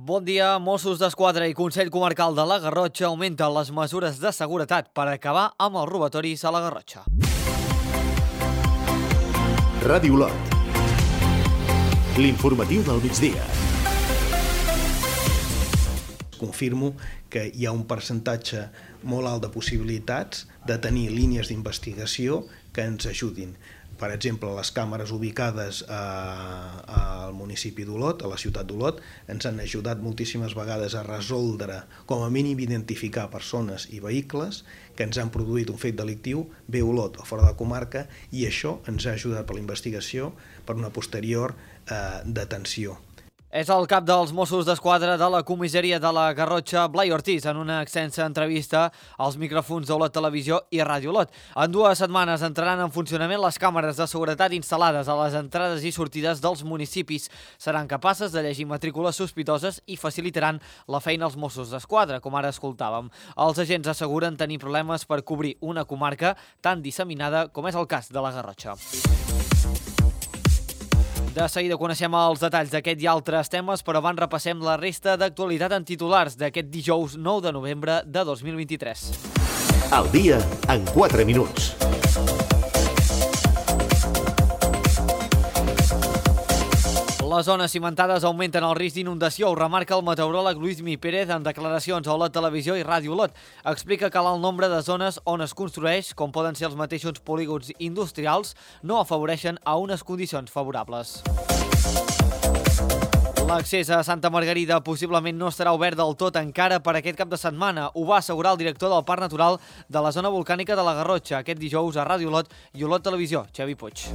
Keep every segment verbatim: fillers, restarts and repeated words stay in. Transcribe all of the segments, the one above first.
Bon dia. Mossos d'Esquadra i Consell Comarcal de la Garrotxa augmenten les mesures de seguretat per acabar amb els robatoris a la Garrotxa. Ràdio Lot. L'informatiu del migdia. Confirmo que hi ha un percentatge molt alt de possibilitats de tenir línies d'investigació que ens ajudin. Per exemple, les càmeres ubicades a, al municipi d'Olot, a la ciutat d'Olot, ens han ajudat moltíssimes vegades a resoldre, com a mínim identificar persones i vehicles que ens han produït un fet delictiu, bé a Olot o fora de la comarca, i això ens ha ajudat per la investigació per una posterior eh, detenció. És el cap dels Mossos d'Esquadra de la comissaria de la Garrotxa, Blai Ortiz, en una extensa entrevista als micròfons d'Olot Televisió i Ràdio Olot. En dues setmanes entraran en funcionament les càmeres de seguretat instal·lades a les entrades i sortides dels municipis. Seran capaces de llegir matrícules sospitoses i facilitaran la feina als Mossos d'Esquadra, com ara escoltàvem. Els agents asseguren tenir problemes per cobrir una comarca tan disseminada com és el cas de la Garrotxa. De seguida coneixem els detalls d'aquest i altres temes, però abans repassem la resta d'actualitat en titulars d'aquest dijous nou de novembre de dos mil vint-i-tres. El dia en quatre minuts. Les zones cimentades augmenten el risc d'inundació, ho remarca el meteoròleg Lluís Mi Pérez en declaracions a Olot Televisió i Ràdio Olot. Explica que l'alt nombre de zones on es construeix, com poden ser els mateixos polígons industrials, no afavoreixen a unes condicions favorables. L'accés a Santa Margarida possiblement no estarà obert del tot encara per aquest cap de setmana. Ho va assegurar el director del Parc Natural de la zona volcànica de la Garrotxa aquest dijous a Ràdio Olot i Olot Televisió, Xavi Puig.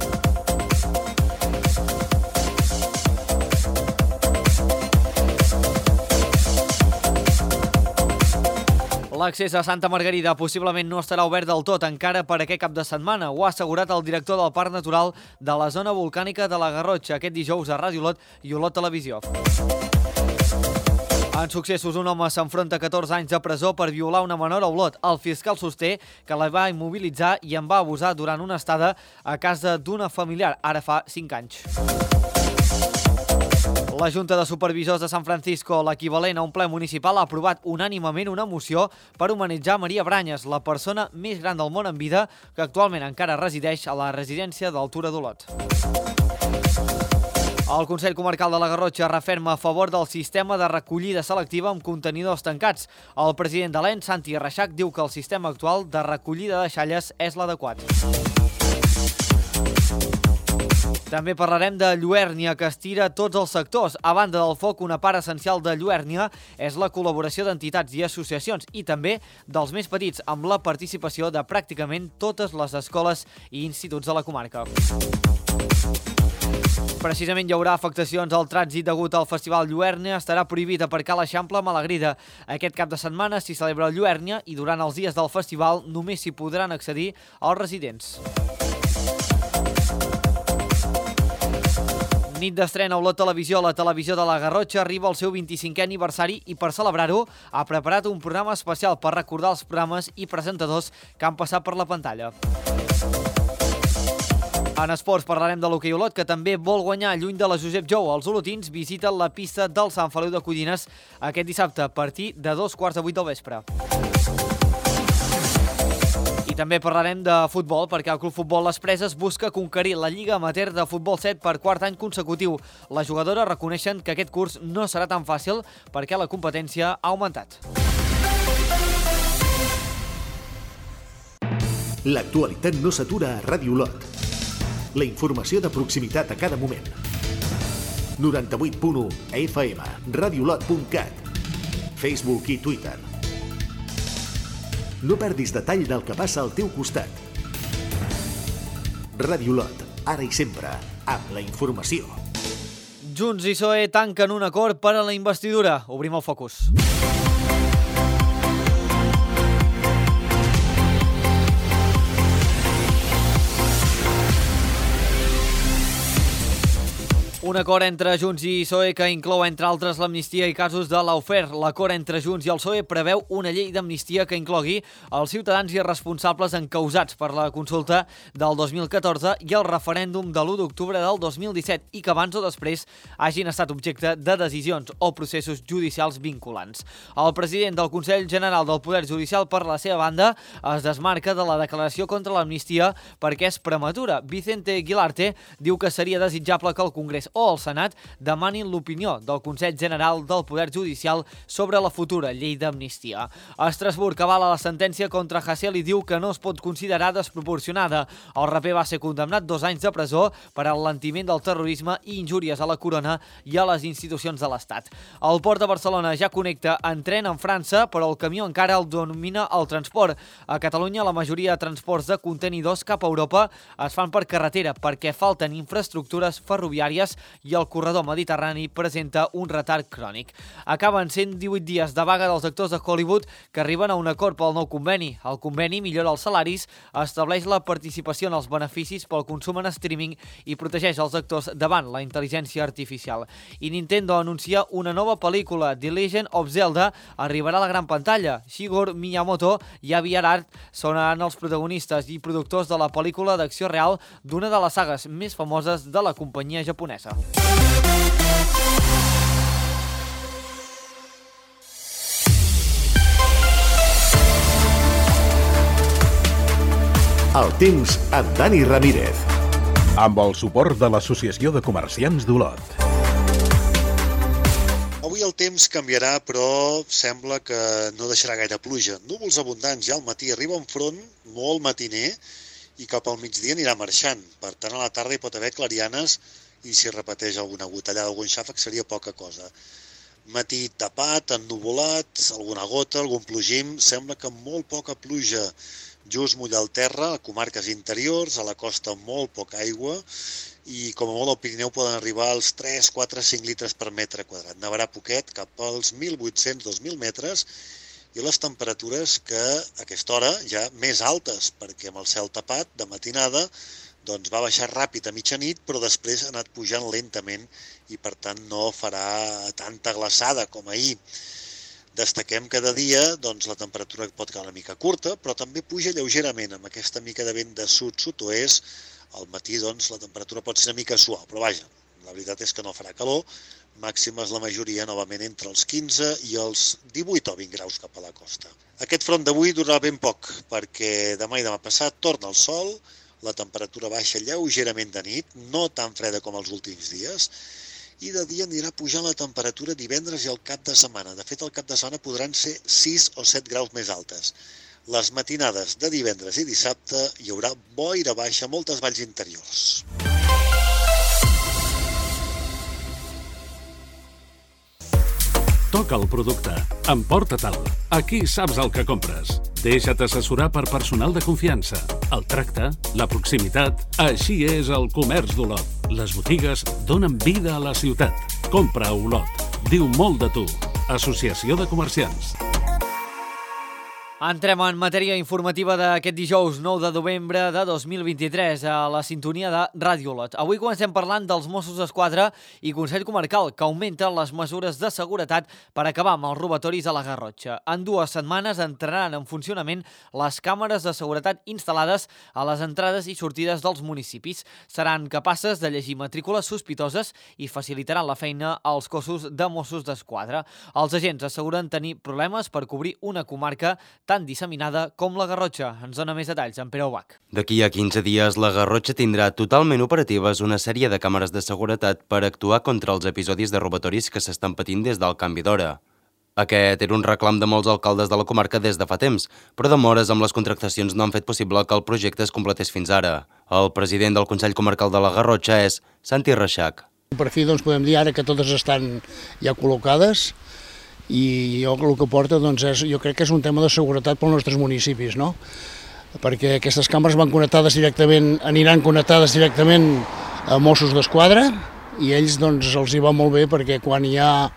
L'accés a Santa Margarida possiblement no estarà obert del tot encara per aquest cap de setmana. Ho ha assegurat el director del Parc Natural de la zona volcànica de la Garrotxa aquest dijous a Ràdio Olot i Olot Televisió. En successos, un home s'enfronta a catorze anys de presó per violar una menor a Olot. El fiscal sosté que la va immobilitzar i en va abusar durant una estada a casa d'una familiar, ara fa cinc anys. La Junta de Supervisors de Sant Francisco, l'equivalent a un ple municipal, ha aprovat unànimement una moció per humanitzar Maria Branyes, la persona més gran del món en vida que actualment encara resideix a la residència d'Altura d'Olot. El Consell Comarcal de la Garrotxa referma a favor del sistema de recollida selectiva amb contenidors tancats. El president de l'E N, Santi Reixac, diu que el sistema actual de recollida de deixalles és l'adequat. També parlarem de Lluèrnia, que estira tots els sectors. A banda del foc, una part essencial de Lluèrnia és la col·laboració d'entitats i associacions i també dels més petits, amb la participació de pràcticament totes les escoles i instituts de la comarca. Precisament hi haurà afectacions al trànsit degut al Festival Lluèrnia. Estarà prohibit aparcar a l'Eixample Malagrida. Aquest cap de setmana s'hi celebra Lluèrnia i durant els dies del festival només s'hi podran accedir els residents. Nit d'estrena a Olot Televisió, la televisió de la Garrotxa arriba al seu vint-i-cinquè aniversari i per celebrar-ho ha preparat un programa especial per recordar els programes i presentadors que han passat per la pantalla. En esports parlarem de l'hoquei Olot, que també vol guanyar lluny de la Josep Jou. Els olotins visiten la pista del Sant Feliu de Codines aquest dissabte a partir de dos quarts de vuit del vespre. I també parlarem de futbol, perquè el Club Futbol Les Preses busca conquerir la Lliga Amateur de Futbol set per quart any consecutiu. Les jugadores reconeixen que aquest curs no serà tan fàcil perquè la competència ha augmentat. L'actualitat no s'atura a Ràdio Olot. La informació de proximitat a cada moment. noranta-vuit punt u F M, radiolot punt cat, Facebook i Twitter. No perdis detall del que passa al teu costat. Ràdio Olot, ara i sempre, amb la informació. Junts i P S O E tanquen un acord per a la investidura. Obrim el focus. Un acord entre Junts i P S O E que inclou, entre altres, l'amnistia i casos de l'Aufer. L'acord entre Junts i el P S O E preveu una llei d'amnistia que inclogui els ciutadans i responsables encausats per la consulta del dos mil catorze i el referèndum de l'u d'octubre del dos mil disset i que abans o després hagin estat objecte de decisions o processos judicials vinculants. El president del Consell General del Poder Judicial, per la seva banda, es desmarca de la declaració contra l'amnistia perquè és prematura. Vicente Guilarte diu que seria desitjable que el Congrés o el Senat demanin l'opinió del Consell General del Poder Judicial sobre la futura llei d'amnistia. Estrasburg avala la sentència contra Hasél i diu que no es pot considerar desproporcionada. El raper va ser condemnat dos anys de presó per alentiment del terrorisme i injúries a la corona i a les institucions de l'Estat. El port de Barcelona ja connecta en tren amb França, però el camió encara el domina el transport. A Catalunya, la majoria de transports de contenidors cap a Europa es fan per carretera perquè falten infraestructures ferroviàries i el corredor mediterrani presenta un retard crònic. Acaben cent divuit dies de vaga dels actors de Hollywood que arriben a un acord pel nou conveni. El conveni millora els salaris, estableix la participació en els beneficis pel consum en streaming i protegeix els actors davant la intel·ligència artificial. I Nintendo anuncia una nova pel·lícula, The Legend of Zelda, arribarà a la gran pantalla. Shigeru Miyamoto i Avi Arad seran els protagonistes i productors de la pel·lícula d'acció real d'una de les sagues més famoses de la companyia japonesa. El temps amb Dani Ramírez. Amb el suport de l'Associació de Comerciants d'Olot. Avui el temps canviarà, però sembla que no deixarà gaire pluja. Núvols abundants ja al matí, arriba un front molt matiner i cap al migdia anirà marxant. Per tant, a la tarda hi pot haver clarianes i si repeteix alguna gotellada, algun xàfec, seria poca cosa. Matí tapat, ennuvolat, alguna gota, algun plogim. Sembla que molt poca pluja just mullar el terra, a comarques interiors, a la costa molt poca aigua i com a molt al Pirineu poden arribar als tres, quatre, cinc litres per metre quadrat. Nevarà poquet, cap als mil vuit-cents a dos mil metres, i les temperatures que a aquesta hora ja més altes, perquè amb el cel tapat de matinada doncs va baixar ràpid a mitjanit, però després ha anat pujant lentament i per tant no farà tanta glaçada com ahir. Destaquem que de dia doncs, la temperatura pot quedar una mica curta, però també puja lleugerament amb aquesta mica de vent de sud-sud-oest. Al matí doncs, la temperatura pot ser una mica suau, però vaja, la veritat és que no farà calor. Màximes la majoria novament entre els quinze i els divuit o vint graus cap a la costa. Aquest front d'avui durarà ben poc, perquè demà i demà passat torna el sol, la temperatura baixa lleugerament de nit, no tan freda com els últims dies, i de dia anirà pujant la temperatura divendres i el cap de setmana. De fet, el cap de setmana podran ser sis o set graus més altes. Les matinades de divendres i dissabte hi haurà boira baixa a moltes valls interiors. Toca el producte. Emporta-te'l. Aquí saps el que compres. Deixa't assessorar per personal de confiança. El tracte, la proximitat... Així és el comerç d'Olot. Les botigues donen vida a la ciutat. Compra a Olot. Diu molt de tu. Associació de Comerciants. Entrem en matèria informativa d'aquest dijous nou de novembre de dos mil vint-i-tres a la sintonia de Ràdio Olot. Avui comencem parlant dels Mossos d'Esquadra i Consell Comarcal, que augmenten les mesures de seguretat per acabar amb els robatoris a la Garrotxa. En dues setmanes entraran en funcionament les càmeres de seguretat instal·lades a les entrades i sortides dels municipis. Seran capaces de llegir matrícules sospitoses i facilitaran la feina als cossos de Mossos d'Esquadra. Els agents asseguren tenir problemes per cobrir una comarca tan disseminada com la Garrotxa. Ens dona més detalls en Pere Ubach. D'aquí a quinze dies, la Garrotxa tindrà totalment operatives una sèrie de càmeres de seguretat per actuar contra els episodis de robatoris que s'estan patint des del canvi d'hora. Aquest era un reclam de molts alcaldes de la comarca des de fa temps, però demores amb les contractacions no han fet possible que el projecte es completés fins ara. El president del Consell Comarcal de la Garrotxa és Santi Reixac. Per fi doncs, podem dir ara que totes estan ja col·locades, i jo el que porta doncs, és, jo crec que és un tema de seguretat pels nostres municipis, no? Perquè aquestes càmeres van connectades directament, aniran connectades directament a Mossos d'Esquadra i ells doncs, els hi va molt bé perquè quan hi ha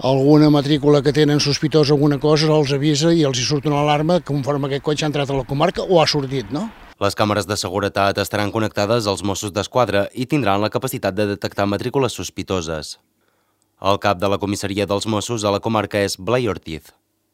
alguna matrícula que tenen sospitosa alguna cosa els avisa i els hi surt una alarma conforme aquest cotxe ha entrat a la comarca o ha sortit, no? Les càmeres de seguretat estaran connectades als Mossos d'Esquadra i tindran la capacitat de detectar matrícules sospitoses. El cap de la comissaria dels Mossos a la comarca és Blai Ortiz.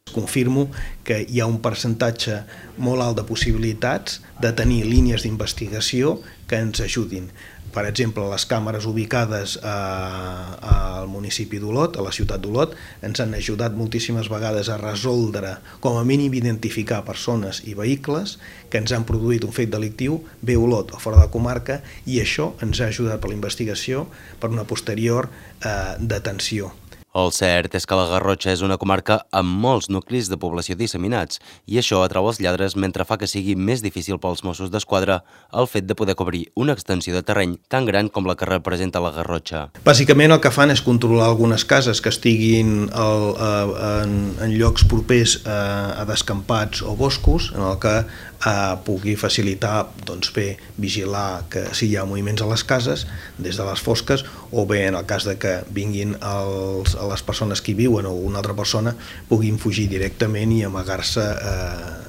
Confirmo que hi ha un percentatge molt alt de possibilitats de tenir línies d'investigació que ens ajudin. Per exemple, les càmeres ubicades al municipi d'Olot, a la ciutat d'Olot, ens han ajudat moltíssimes vegades a resoldre, com a mínim identificar persones i vehicles que ens han produït un fet delictiu bé a Olot o fora de la comarca, i això ens ha ajudat per la investigació per una posterior eh, detenció. El cert és que la Garrotxa és una comarca amb molts nuclis de població disseminats i això atrau els lladres mentre fa que sigui més difícil pels Mossos d'Esquadra el fet de poder cobrir una extensió de terreny tan gran com la que representa la Garrotxa. Bàsicament el que fan és controlar algunes cases que estiguin el, en, en llocs propers a, a descampats o boscos, en el que eh, pugui facilitar, doncs bé, vigilar que si hi ha moviments a les cases des de les fosques, o bé en el cas de que vinguin els a les persones que hi viuen o una altra persona puguin fugir directament i amagar-se eh,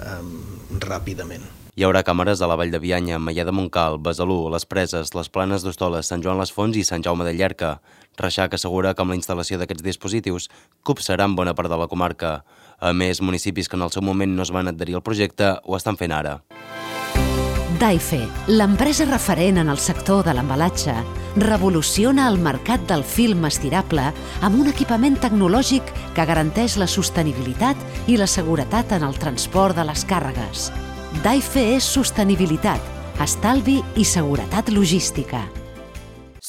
eh, ràpidament. Hi haurà càmeres a la Vall de Bianya, Maià de Montcal, Besalú, Les Preses, les Planes d'Hostoles, Sant Joan les Fonts i Sant Jaume de Llierca. Reixac assegura que amb la instal·lació d'aquests dispositius copsaran bona part de la comarca. A més, municipis que en el seu moment no es van adherir al projecte ho estan fent ara. Daife, l'empresa referent en el sector de l'embalatge, revoluciona el mercat del film estirable amb un equipament tecnològic que garanteix la sostenibilitat i la seguretat en el transport de les càrregues. Daife és sostenibilitat, estalvi i seguretat logística.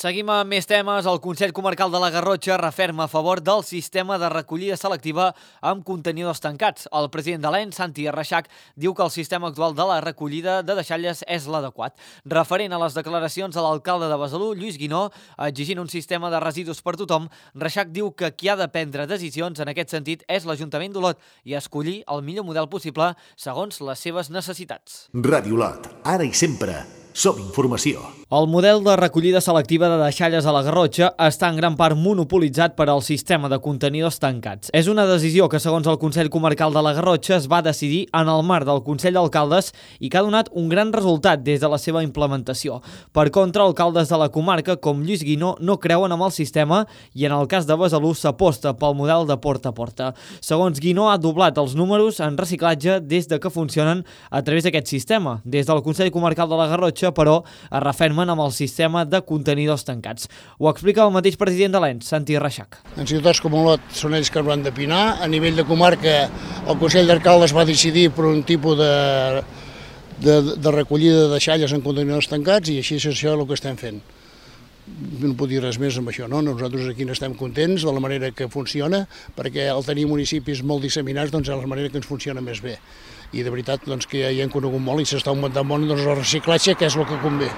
Seguim amb més temes. El Consell Comarcal de la Garrotxa referma a favor del sistema de recollida selectiva amb contenidors tancats. El president de l'E N, Santi Reixac, diu que el sistema actual de la recollida de deixalles és l'adequat. Referent a les declaracions de l'alcalde de Besalú, Lluís Guinó, exigint un sistema de residus per tothom, Reixac diu que qui ha de prendre decisions en aquest sentit és l'Ajuntament d'Olot i escollir el millor model possible segons les seves necessitats. Ràdio Olot, ara i sempre. Som informació. El model de recollida selectiva de deixalles a la Garrotxa està en gran part monopolitzat per al sistema de contenidors tancats. És una decisió que, segons el Consell Comarcal de la Garrotxa, es va decidir en el marc del Consell d'Alcaldes i que ha donat un gran resultat des de la seva implementació. Per contra, alcaldes de la comarca, com Lluís Guinó, no creuen en el sistema i en el cas de Besalú s'aposta pel model de porta a porta. Segons Guinó, ha doblat els números en reciclatge des de que funcionen a través d'aquest sistema. Des del Consell Comarcal de la Garrotxa, però es refermen amb el sistema de contenidors tancats. Ho explica el mateix president de l'E N, Santi Reixac. En ciutats com Olot són ells que ho han d'opinar. A nivell de comarca, el Consell d'Alcaldes va decidir per un tipus de, de, de recollida de deixalles en contenidors tancats i així és això el que estem fent. No puc dir res més amb això, no? Nosaltres aquí n'estem contents de la manera que funciona, perquè al tenir municipis molt disseminats doncs és la manera que ens funciona més bé. I de veritat doncs, que ja hi hem conegut molt i s'està augmentant molt doncs, el reciclatge, que és el que convé.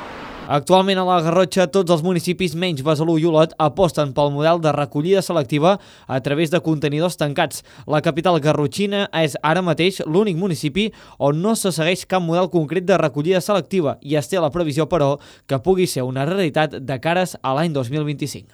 Actualment a la Garrotxa tots els municipis menys Besalú i Olot aposten pel model de recollida selectiva a través de contenidors tancats. La capital garrotxina és ara mateix l'únic municipi on no se segueix cap model concret de recollida selectiva i es té la previsió, però, que pugui ser una realitat de cares a l'any dos mil vint-i-cinc.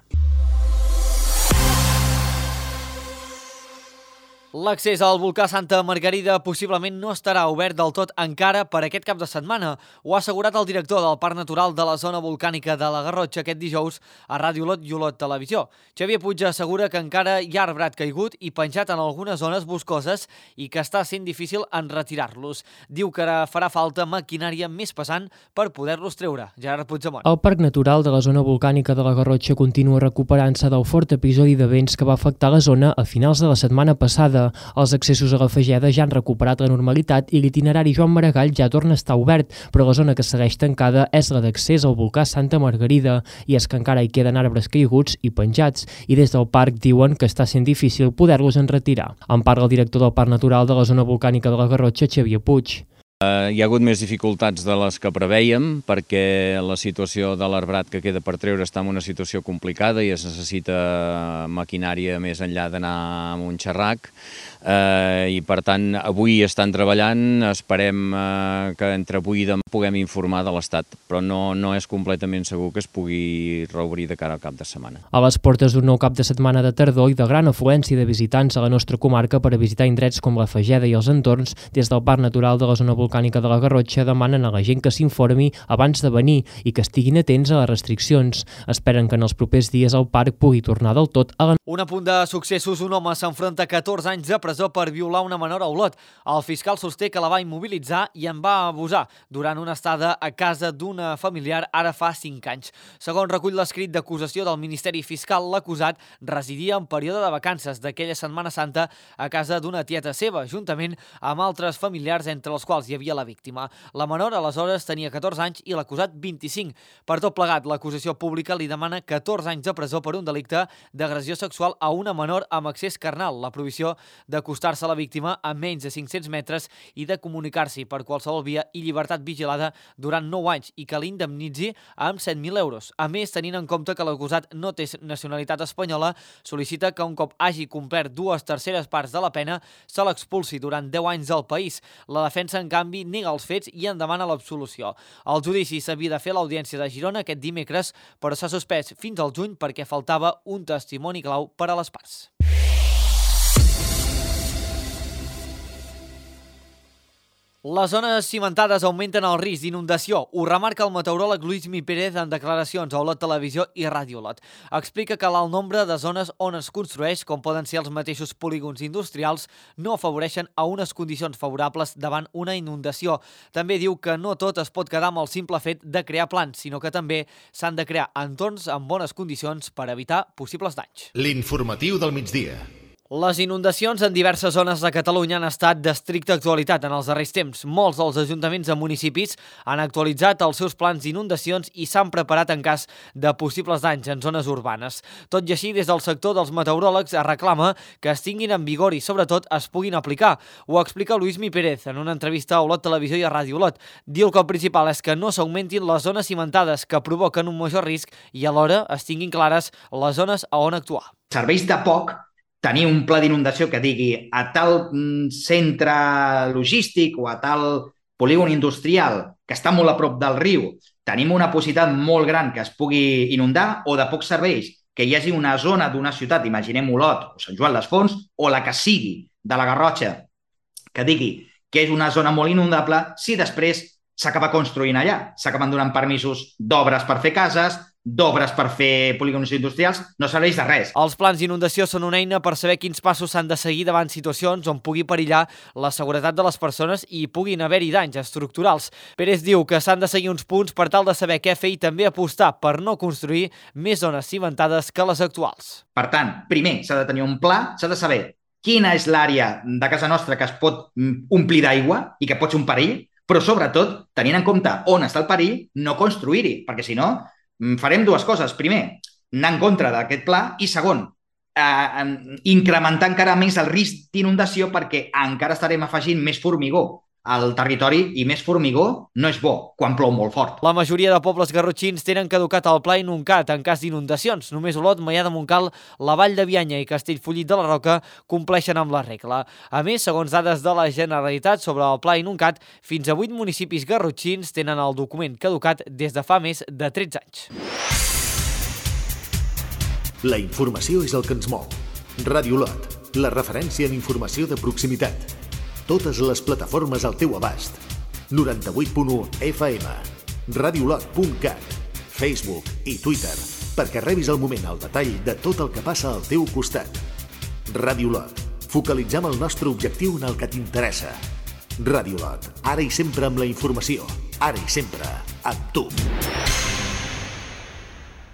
L'accés al volcà Santa Margarida possiblement no estarà obert del tot encara per aquest cap de setmana. Ho ha assegurat el director del Parc Natural de la Zona Volcànica de la Garrotxa aquest dijous a Ràdio Olot i Olot Televisió. Xavier Puig assegura que encara hi ha arbrat caigut i penjat en algunes zones boscoses i que està sent difícil en retirar-los. Diu que ara farà falta maquinària més pesant per poder-los treure. Gerard Puigdemont. El Parc Natural de la Zona Volcànica de la Garrotxa continua recuperant-se del fort episodi de vents que va afectar la zona a finals de la setmana passada. Els accessos a la Fageda ja han recuperat la normalitat i l'itinerari Joan Maragall ja torna a estar obert, però la zona que segueix tancada és la d'accés al volcà Santa Margarida, i és que encara hi queden arbres caiguts i penjats, i des del parc diuen que està sent difícil poder-los enretirar. En parla el director del Parc Natural de la Zona Volcànica de la Garrotxa, Xavier Puig. Uh, hi ha hagut més dificultats de les que preveiem perquè la situació de l'arbrat que queda per treure està en una situació complicada i es necessita maquinària més enllà d'anar amb un xerrac. eh, i per tant avui estan treballant, esperem eh, que entre avui i demà puguem informar de l'estat, però no, no és completament segur que es pugui reobrir de cara al cap de setmana. A les portes d'un nou cap de setmana de tardor i de gran afluència de visitants a la nostra comarca per a visitar indrets com la Fageda i els entorns, des del Parc Natural de la Zona Volcànica de la Garrotxa demanen a la gent que s'informi abans de venir i que estiguin atents a les restriccions. Esperen que en els propers dies el parc pugui tornar del tot a la... Un apunt de successos, un home s'enfronta a catorze anys de presó per violar una menor a Olot. El fiscal sosté que la va immobilitzar i en va abusar durant una estada a casa d'una familiar ara fa cinc anys. Segons recull l'escrit d'acusació del Ministeri Fiscal, l'acusat residia en període de vacances d'aquella Setmana Santa a casa d'una tieta seva, juntament amb altres familiars entre els quals hi havia la víctima. La menor aleshores tenia catorze anys i l'acusat vint-i-cinc. Per tot plegat, l'acusació pública li demana catorze anys de presó per un delicte d'agressió sexual a una menor amb accés carnal, la prohibició d'acostar-se a la víctima a menys de cinc-cents metres i de comunicar-s'hi per qualsevol via i llibertat vigilada durant nou anys i que l'indemnitzi amb set mil euros. A més, tenint en compte que l'acusat no té nacionalitat espanyola, sol·licita que un cop hagi complert dues terceres parts de la pena se l'expulsi durant deu anys del país. La defensa, en canvi, nega els fets i en demana l'absolució. El judici s'havia de fer a l'Audiència de Girona aquest dimecres, però s'ha suspès fins al juny perquè faltava un testimoni clau per a les parts. Les zones cimentades augmenten el risc d'inundació. Ho remarca el meteoròleg Luismi Pérez en declaracions a Olot Televisió i Ràdio Olot. Explica que l'alt nombre de zones on es construeix, com poden ser els mateixos polígons industrials, no afavoreixen a unes condicions favorables davant una inundació. També diu que no tot es pot quedar amb el simple fet de crear plans, sinó que també s'han de crear entorns amb bones condicions per evitar possibles danys. L'informatiu del migdia. Les inundacions en diverses zones de Catalunya han estat d'estricta actualitat en els darrers temps. Molts dels ajuntaments de municipis han actualitzat els seus plans d'inundacions i s'han preparat en cas de possibles danys en zones urbanes. Tot i així, des del sector dels meteoròlegs es reclama que es tinguin en vigor i, sobretot, es puguin aplicar. Ho explica Luismi Pérez en una entrevista a Olot Televisió i a Ràdio Olot. Diu que el principal és que no s'augmentin les zones cimentades que provoquen un major risc i alhora es tinguin clares les zones a on actuar. Serveix de poc tenir un pla d'inundació que digui a tal centre logístic o a tal polígon industrial que està molt a prop del riu tenim una possibilitat molt gran que es pugui inundar, o de poc serveix que hi hagi una zona d'una ciutat, imaginem Olot o Sant Joan les Fonts, o la que sigui de la Garrotxa, que digui que és una zona molt inundable, si després s'acaba construint allà, s'acaben donant permisos d'obres per fer cases, d'obres per fer polígons industrials, no serveix de res. Els plans d'inundació són una eina per saber quins passos s'han de seguir davant situacions on pugui perillar la seguretat de les persones i puguin haver-hi danys estructurals. Pérez diu que s'han de seguir uns punts per tal de saber què fer i també apostar per no construir més zones cimentades que les actuals. Per tant, primer s'ha de tenir un pla, s'ha de saber quina és l'àrea de casa nostra que es pot omplir d'aigua i que pot ser un perill, però sobretot, tenint en compte on està el perill, no construir-hi, perquè si no farem dues coses. Primer, anar en contra d'aquest pla i segon, eh, incrementar encara més el risc d'inundació perquè encara estarem afegint més formigó al territori i més formigó no és bo quan plou molt fort. La majoria de pobles garrotxins tenen caducat el pla Inuncat en cas d'inundacions. Només Olot, Maià de Montcal, la Vall de Bianya i Castellfollit de la Roca compleixen amb la regla. A més, segons dades de la Generalitat sobre el pla Inuncat, fins a vuit municipis garrotxins tenen el document caducat des de fa més de tretze anys. La informació és el que ens mou. Ràdio Olot, la referència en informació de proximitat. Totes les plataformes al teu abast. noranta-vuit punt u F M, radiolot punt cat, Facebook i Twitter, perquè rebis al moment el detall de tot el que passa al teu costat. Ràdio Olot, focalitzem el nostre objectiu en el que t'interessa. Ràdio Olot, ara i sempre amb la informació, ara i sempre amb tu.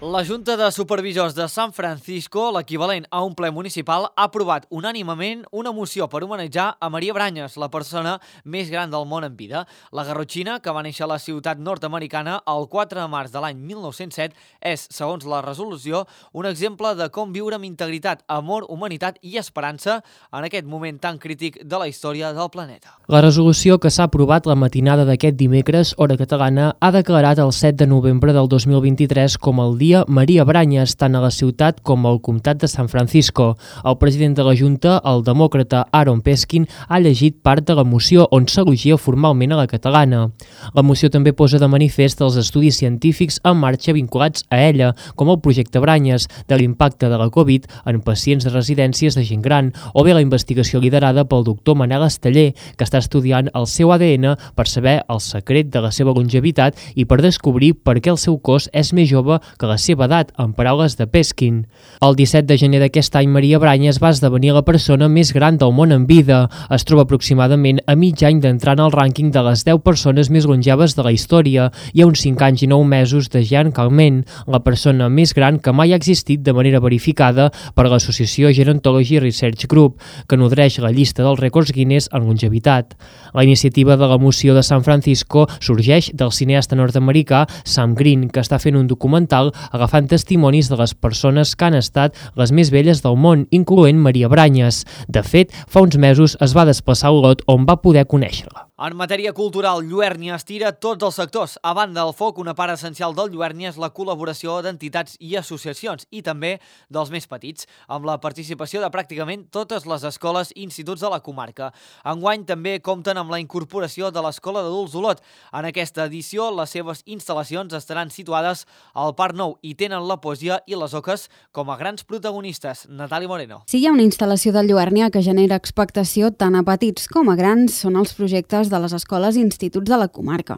La Junta de Supervisors de San Francisco, l'equivalent a un ple municipal, ha aprovat unànimement una moció per homenatjar a Maria Branyes, la persona més gran del món en vida. La garrotxina, que va néixer a la ciutat nord-americana el quatre de març de l'any mil nou-cents set, és, segons la resolució, un exemple de com viure amb integritat, amor, humanitat i esperança en aquest moment tan crític de la història del planeta. La resolució que s'ha aprovat la matinada d'aquest dimecres, hora catalana, ha declarat el set de novembre del dos mil vint-i-tres com el dia l'alcaldia Maria Brañas, tant a la ciutat com al comtat de San Francisco. El president de la Junta, el demòcrata Aaron Peskin, ha llegit part de la moció on s'elogia formalment a la catalana. La moció també posa de manifest els estudis científics en marxa vinculats a ella, com el projecte Brañas, de l'impacte de la Covid en pacients de residències de gent gran, o bé la investigació liderada pel doctor Manel Esteller, que està estudiant el seu A D N per saber el secret de la seva longevitat i per descobrir per què el seu cos és més jove que la seva edat, en paraules de Peskin. El disset de gener d'aquest any, Maria Brañas va esdevenir la persona més gran del món en vida. Es troba aproximadament a mig any d'entrar en el rànquing de les deu persones més longeves de la història i a uns cinc anys i nou mesos de Jean Calment, la persona més gran que mai ha existit de manera verificada per l'associació Gerontology Research Group, que nodreix la llista dels rècords Guinness en longevitat. La iniciativa de la moció de San Francisco sorgeix del cineasta nord-americà Sam Green, que està fent un documental agafant testimonis de les persones que han estat les més velles del món, incloent Maria Brañas. De fet, fa uns mesos es va desplaçar a Olot, on va poder conèixer-la. En matèria cultural, Lluèrnia estira tots els sectors. A banda del foc, una part essencial del Lluèrnia és la col·laboració d'entitats i associacions, i també dels més petits, amb la participació de pràcticament totes les escoles i instituts de la comarca. Enguany també compten amb la incorporació de l'Escola d'Adults Olot. En aquesta edició, les seves instal·lacions estaran situades al Parc Nou i tenen la poesia i les oques com a grans protagonistes. Natàlia Moreno. Si hi ha una instal·lació de Lluèrnia que genera expectació tant a petits com a grans, són els projectes de les escoles i instituts de la comarca.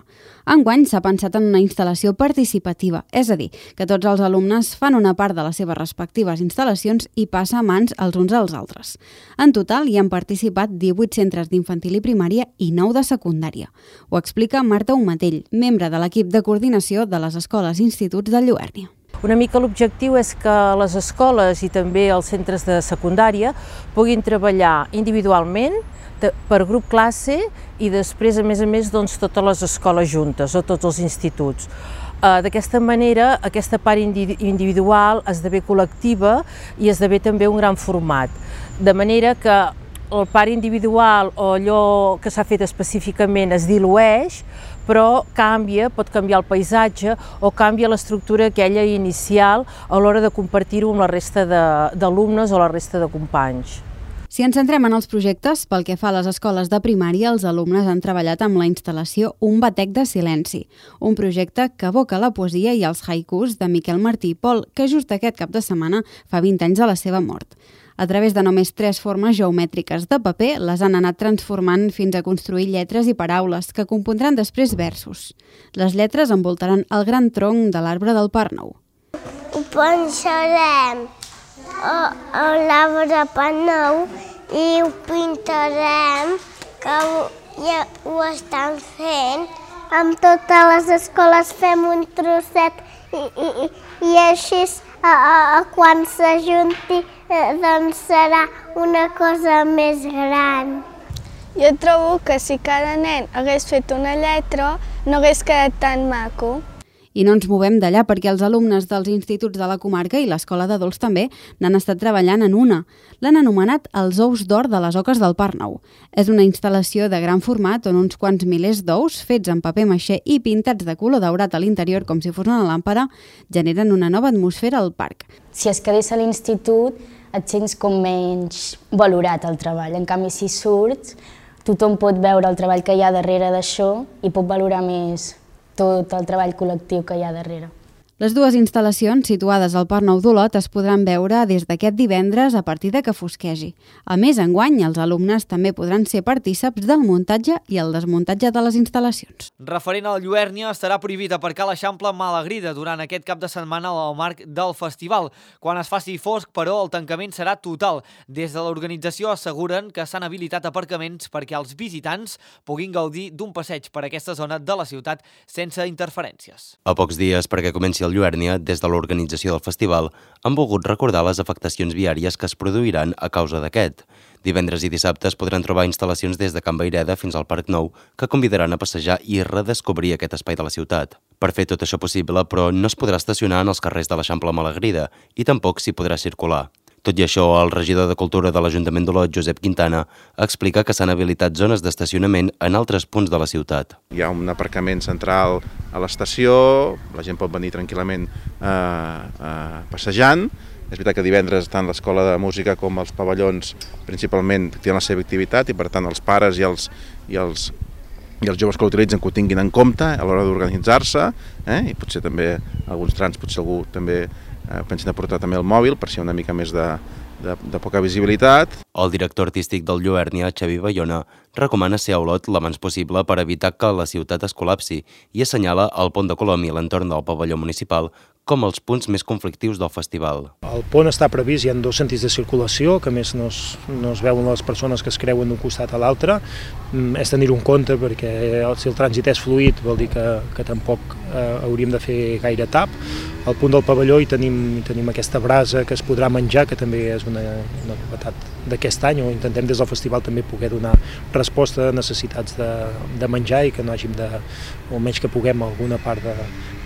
Enguany s'ha pensat en una instal·lació participativa, és a dir, que tots els alumnes fan una part de les seves respectives instal·lacions i passa a mans els uns als altres. En total hi han participat divuit centres d'infantil i primària i nou de secundària. Ho explica Marta Umatell, membre de l'equip de coordinació de les escoles i instituts de Lluèrnia. Una mica l'objectiu és que les escoles i també els centres de secundària puguin treballar individualment per grup classe i després, a més a més, doncs, totes les escoles juntes o tots els instituts. D'aquesta manera, aquesta part individual esdevé col·lectiva i esdevé també un gran format. De manera que el part individual o allò que s'ha fet específicament es dilueix, però canvia, pot canviar el paisatge o canvia l'estructura aquella inicial a l'hora de compartir-ho amb la resta d'alumnes o la resta de companys. Si ens centrem en els projectes, pel que fa a les escoles de primària, els alumnes han treballat amb la instal·lació Un batec de silenci, un projecte que evoca la poesia i els haikus de Miquel Martí i Pol, que just aquest cap de setmana fa vint anys de la seva mort. A través de només tres formes geomètriques de paper, les han anat transformant fins a construir lletres i paraules que compondran després versos. Les lletres envoltaran el gran tronc de l'arbre del Parc Nou. Ho pensarem a l'arbre Parc Nou i ho pintarem, que ja ho estan fent. Amb totes les escoles fem un trosset i, i, i així a, a, a quan s'ajunti doncs serà una cosa més gran. Jo trobo que si cada nen hagués fet una lletra no hagués quedat tan maco. I no ens movem d'allà perquè els alumnes dels instituts de la comarca i l'escola d'adults també n'han estat treballant en una. L'han anomenat els ous d'or de les oques del Parc Nou. És una instal·lació de gran format on uns quants milers d'ous fets en paper maixé i pintats de color daurat a l'interior com si fos una làmpara generen una nova atmosfera al parc. Si es quedés a l'institut et sents com menys valorat el treball. En canvi, si surts, tothom pot veure el treball que hi ha darrere d'això i pot valorar més tot el treball col·lectiu que hi ha darrere. Les dues instal·lacions situades al Parc Nou d'Olot es podran veure des d'aquest divendres a partir de que fosquegi. A més, enguany, els alumnes també podran ser partíceps del muntatge i el desmuntatge de les instal·lacions. Referent al Lluèrnia, estarà prohibit aparcar a l'Eixample Malagrida durant aquest cap de setmana al marc del festival. Quan es faci fosc, però, el tancament serà total. Des de l'organització asseguren que s'han habilitat aparcaments perquè els visitants puguin gaudir d'un passeig per aquesta zona de la ciutat sense interferències. A pocs dies perquè comenci el Lluèrnia, des de l'organització del festival, han volgut recordar les afectacions viàries que es produiran a causa d'aquest. Divendres i dissabte es podran trobar instal·lacions des de Can Vayreda fins al Parc Nou que convidaran a passejar i redescobrir aquest espai de la ciutat. Per fer tot això possible, però, no es podrà estacionar en els carrers de l'Eixample Malagrida i tampoc s'hi podrà circular. Tot i això, el regidor de Cultura de l'Ajuntament d'Olot, Josep Quintana, explica que s'han habilitat zones d'estacionament en altres punts de la ciutat. Hi ha un aparcament central a l'estació, la gent pot venir tranquil·lament eh, eh, passejant. És veritat que divendres tant l'Escola de Música com els pavellons principalment tenen la seva activitat i per tant els pares i els, i els, i els joves que l'utilitzen que ho tinguin en compte a l'hora d'organitzar-se, eh? I potser també alguns trams, potser algú també eh, pensen de portar també el mòbil per si hi ha una mica més de, de, de poca visibilitat. El director artístic del Lluernia, Xavi Bayona, recomana ser a Olot l'abans possible per evitar que la ciutat es col·lapsi i assenyala el pont de Colom i l'entorn del pavelló municipal com els punts més conflictius del festival. El pont està previst, hi ha dos sentits de circulació, que a més no es, no es veuen les persones que es creuen d'un costat a l'altre. És tenir-ho en compte perquè si el trànsit és fluid vol dir que, que tampoc eh, hauríem de fer gaire tap. Al punt del pavelló hi tenim, hi tenim aquesta brasa que es podrà menjar, que també és una, una novetat d'aquest any, o intentem des del festival també poder donar resposta a necessitats de, de menjar i que no hàgim de, o almenys que puguem alguna part de,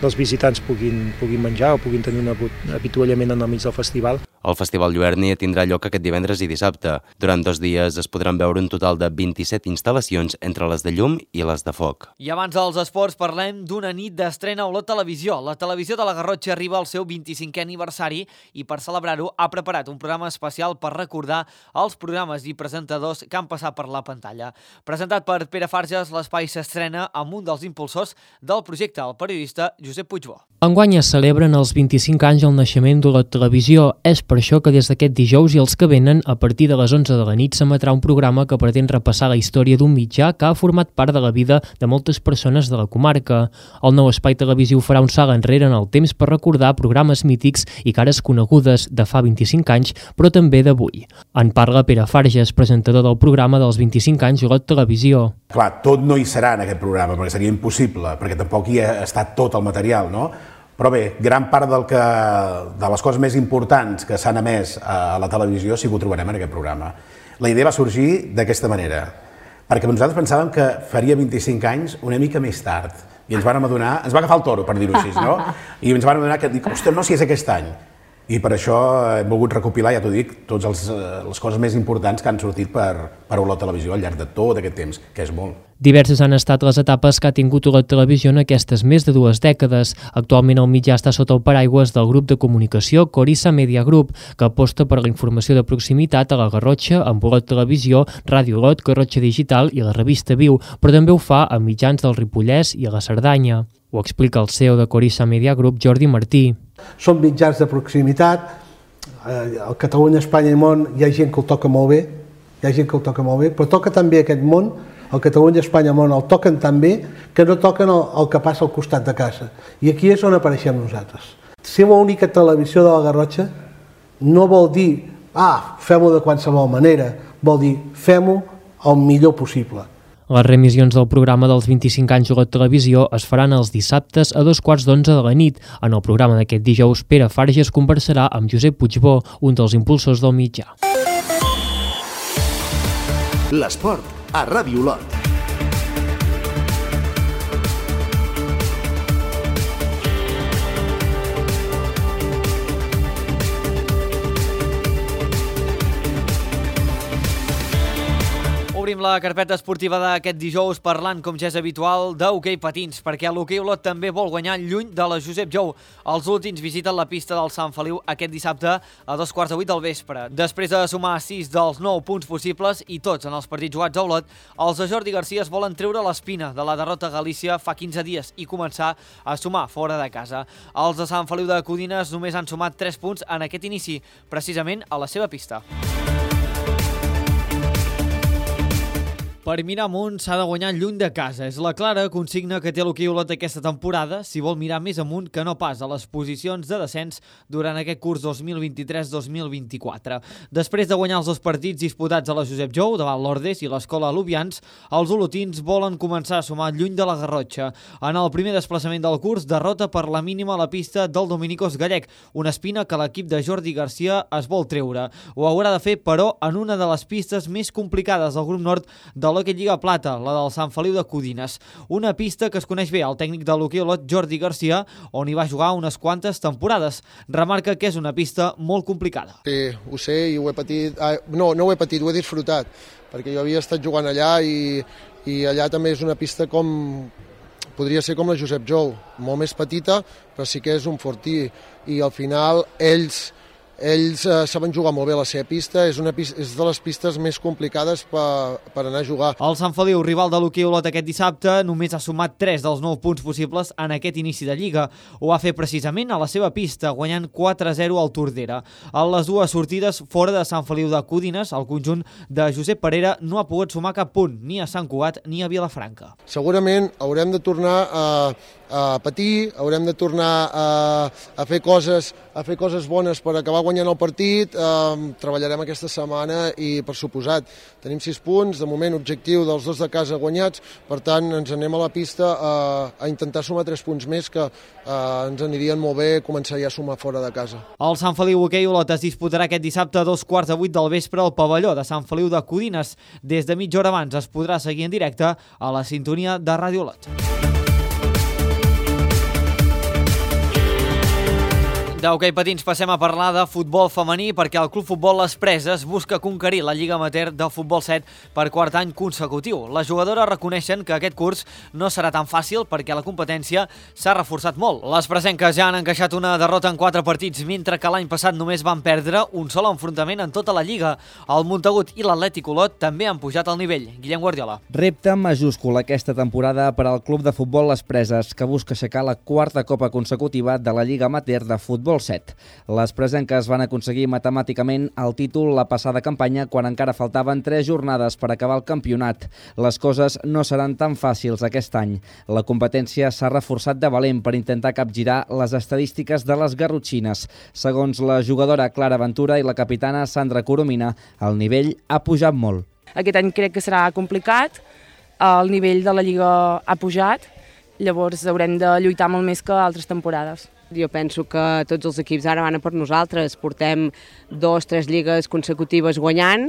dels visitants puguin, puguin menjar o puguin tenir un avituallament en el mig del festival. El Festival Lluernia tindrà lloc aquest divendres i dissabte. Durant dos dies es podran veure un total de vint-i-set instal·lacions entre les de llum i les de foc. I abans dels esports parlem d'una nit d'estrena a Olot Televisió. La televisió de la Garrotxa arriba al seu vint-i-cinquè aniversari i per celebrar-ho ha preparat un programa especial per recordar els programes i presentadors que han passat per la pantalla. Presentat per Pere Farges, l'espai s'estrena amb un dels impulsors del projecte, el periodista Josep Puigbó. Enguany es celebren els vint-i-cinc anys del naixement d'Olot Televisió. És per això que des d'aquest dijous i els que venen, a partir de les onze de la nit, s'emetrà un programa que pretén repassar la història d'un mitjà que ha format part de la vida de moltes persones de la comarca. El nou espai televisiu farà un salt enrere en el temps per recordar programes mítics i cares conegudes de fa vint-i-cinc anys, però també d'avui. En parla Pere Farges, presentador del programa dels vint-i-cinc anys Olot Televisió. Clar, tot no hi serà en aquest programa, perquè seria impossible, perquè tampoc hi ha estat tot el material, no? Però bé, gran part del que, de les coses més importants que s'han emès a la televisió sí que ho trobarem en aquest programa. La idea va sorgir d'aquesta manera, perquè nosaltres pensàvem que faria vint-i-cinc anys una mica més tard, i ens vam adonar, ens va agafar el toro, per dir-ho així, no? I ens vam adonar que, dic, ostres, no, si és aquest any. I per això hem volgut recopilar, ja t'ho dic, totes les coses més importants que han sortit per, per Olot Televisió al llarg de tot aquest temps, que és molt. Diverses han estat les etapes que ha tingut Olot Televisió en aquestes més de dues dècades. Actualment el mitjà està sota el paraigües del grup de comunicació Corissa Media Group, que aposta per la informació de proximitat a la Garrotxa amb Olot Televisió, Ràdio Olot, Garrotxa Digital i la revista Viu, però també ho fa a mitjans del Ripollès i a la Cerdanya. Ho explica el C E O de Corissa Media Group, Jordi Martí. Són mitjans de proximitat, al Catalunya, Espanya i món hi ha gent que el toca molt bé, hi ha gent que el toca molt bé, però toca també aquest món, el Catalunya, Espanya i món el toquen tan bé que no toquen el, el que passa al costat de casa. I aquí és on apareixem nosaltres. Ser l'única televisió de la Garrotxa no vol dir, ah, fem-ho de qualsevol manera, vol dir, fem-ho el millor possible. Les remissions del programa dels vint-i-cinc anys Olot Televisió es faran els dissabtes a dos quarts d'onze de la nit. En el programa d'aquest dijous, Pere Farges conversarà amb Josep Puigbó, un dels impulsors del mitjà. L'esport a Ràdio Olot. Obrim la carpeta esportiva d'aquest dijous parlant, com ja és habitual, d'hoquei patins, perquè l'hoquei Olot també vol guanyar lluny de la Josep Jou. Els últims visiten la pista del Sant Feliu aquest dissabte a dos quarts de vuit del vespre. Després de sumar sis dels nou punts possibles i tots en els partits jugats a Olot, els de Jordi Garcia es volen treure l'espina de la derrota a Galícia fa quinze dies i començar a sumar fora de casa. Els de Sant Feliu de Codines només han sumat tres punts en aquest inici, precisament a la seva pista. Per mirar amunt s'ha de guanyar lluny de casa. És la clara consigna que té l'hoquei Olot aquesta temporada, si vol mirar més amunt que no pas a les posicions de descens durant aquest curs dos mil vint-i-tres dos mil vint-i-quatre. Després de guanyar els dos partits disputats a la Josep Jou, davant l'Ordes i l'Escola Alubians, els olotins volen començar a sumar lluny de la Garrotxa. En el primer desplaçament del curs, derrota per la mínima a la pista del Dominicos Gallec, una espina que l'equip de Jordi Garcia es vol treure. Ho haurà de fer, però, en una de les pistes més complicades del grup nord de la l'Hockey Lliga Plata, la del Sant Feliu de Codines. Una pista que es coneix bé al tècnic de l'hoquei Olot, Jordi Garcia, on hi va jugar unes quantes temporades. Remarca que és una pista molt complicada. Sí, ho sé i ho he patit... Ah, no, no ho he patit, ho he disfrutat, perquè jo havia estat jugant allà i, i allà també és una pista com... podria ser com la Josep Jou, molt més petita, però sí que és un fortí. I al final ells... Ells eh, saben jugar molt bé la seva pista, és, una pista, és de les pistes més complicades per, per anar a jugar. El Sant Feliu, rival de l'hoquei Olot aquest dissabte, només ha sumat tres dels nou punts possibles en aquest inici de Lliga. Ho va fer precisament a la seva pista, guanyant quatre a zero al Tordera. A les dues sortides fora de Sant Feliu de Codines, el conjunt de Josep Parera no ha pogut sumar cap punt, ni a Sant Cugat ni a Vilafranca. Segurament haurem de tornar a, a patir, haurem de tornar a, a, fer coses, a fer coses bones per acabar guanyant el partit, eh, treballarem aquesta setmana i, per suposat, tenim sis punts, de moment objectiu dels dos de casa guanyats, per tant ens anem a la pista a, a intentar sumar tres punts més que eh, ens anirien molt bé començar ja a sumar fora de casa. El Sant Feliu Hoquei Olot es disputarà aquest dissabte a dos quarts de vuit del vespre al pavelló de Sant Feliu de Codines. Des de mitja hora abans es podrà seguir en directe a la sintonia de Ràdio Olot. D'hoquei patins passem a parlar de futbol femení perquè el Club Futbol Les Preses busca conquerir la Lliga Amateur de Futbol set per quart any consecutiu. Les jugadores reconeixen que aquest curs no serà tan fàcil perquè la competència s'ha reforçat molt. Les presenques ja han encaixat una derrota en quatre partits, mentre que l'any passat només van perdre un sol enfrontament en tota la Lliga. El Montagut i l'Atlètic Olot també han pujat al nivell. Guillem Guardiola. Repte majúscul aquesta temporada per al Club de Futbol Les Preses, que busca aixecar la quarta copa consecutiva de la Lliga Amateur de Futbol set. Les presenques van aconseguir matemàticament el títol la passada campanya quan encara faltaven tres jornades per acabar el campionat. Les coses no seran tan fàcils aquest any. La competència s'ha reforçat de valent per intentar capgirar les estadístiques de les garrotxines. Segons la jugadora Clara Ventura i la capitana Sandra Coromina, el nivell ha pujat molt. Aquest any crec que serà complicat, el nivell de la Lliga ha pujat, llavors haurem de lluitar molt més que altres temporades. Jo penso que tots els equips ara van a per nosaltres. Portem dos, tres lligues consecutives guanyant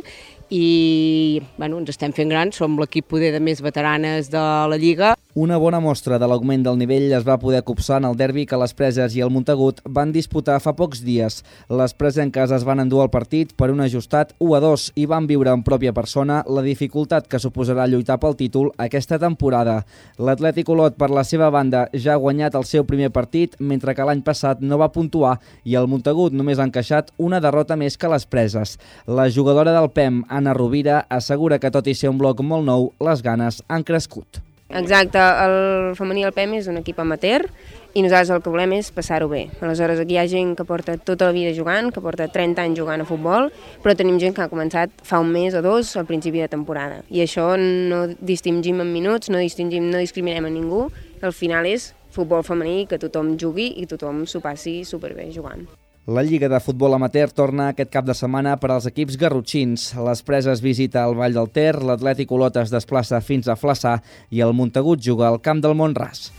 i bueno, ens estem fent grans, som l'equip poder de més veteranes de la Lliga. Una bona mostra de l'augment del nivell es va poder copsar en el derbi que les Preses i el Montagut van disputar fa pocs dies. Les presenques es van endur el partit per un ajustat u a dos i van viure en pròpia persona la dificultat que suposarà lluitar pel títol aquesta temporada. L'Atlètic Olot, per la seva banda, ja ha guanyat el seu primer partit, mentre que l'any passat no va puntuar i el Montagut només ha encaixat una derrota més que les Preses. La jugadora del P E M, Anna Rovira, assegura que tot i ser un bloc molt nou, les ganes han crescut. Exacte, el femení del P E M és un equip amateur i nosaltres el que volem és passar-ho bé. Aleshores, aquí hi ha gent que porta tota la vida jugant, que porta trenta anys jugant a futbol, però tenim gent que ha començat fa un mes o dos al principi de temporada. I això no distingim en minuts, no distingim, no discriminem a ningú, al final és futbol femení, que tothom jugui i tothom s'ho passi superbé jugant. La Lliga de Futbol Amateur torna aquest cap de setmana per als equips garrotxins. Les Preses visita el Vall del Ter, l'Atlètic Olot es desplaça fins a Flaçà i el Montagut juga al Camp del Mont-ras.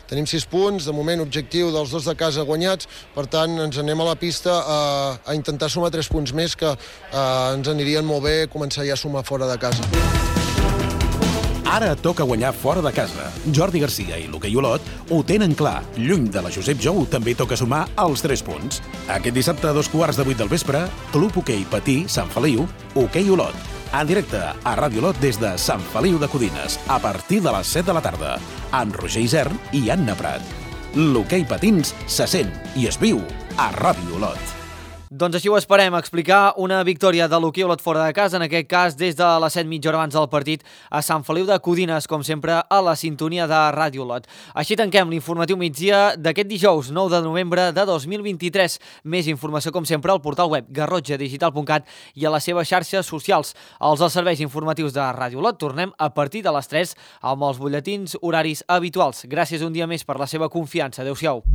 Tenim sis punts, de moment objectiu dels dos de casa guanyats, per tant ens anem a la pista a, a intentar sumar tres punts més que a, ens anirien molt bé començar ja a sumar fora de casa. Ara toca guanyar fora de casa. Jordi Garcia i l'Hoquei Olot ho tenen clar. Lluny de la Josep Jou també toca sumar els tres punts. Aquest dissabte a dos quarts de vuit del vespre, Club Hoquei Patí Sant Feliu, Hoquei Olot. En directe a Ràdio Olot des de Sant Feliu de Codines, a partir de les set de la tarda, amb Roger Isern i Anna Prat. L'hoquei patins se sent i es viu a Ràdio Olot. Doncs així ho esperem, explicar una victòria de l'hoquei Olot fora de casa, en aquest cas des de les set mitja hora abans del partit a Sant Feliu de Codines, com sempre a la sintonia de Ràdio Olot. Així tanquem l'informatiu migdia d'aquest dijous nou de novembre de dos mil vint-i-tres. Més informació com sempre al portal web garrotxa digital punt cat i a les seves xarxes socials. Els dels serveis informatius de Ràdio Olot tornem a partir de les tres amb els butlletins horaris habituals. Gràcies un dia més per la seva confiança. Adéu-siau.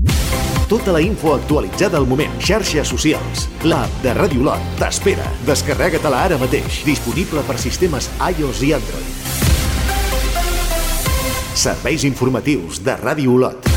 Tota la info actualitzada al moment. Xarxes socials. L'app de Ràdio Olot t'espera. Descarrega-te-la ara mateix. Disponible per sistemes iOS i Android. Serveis informatius de Ràdio Olot.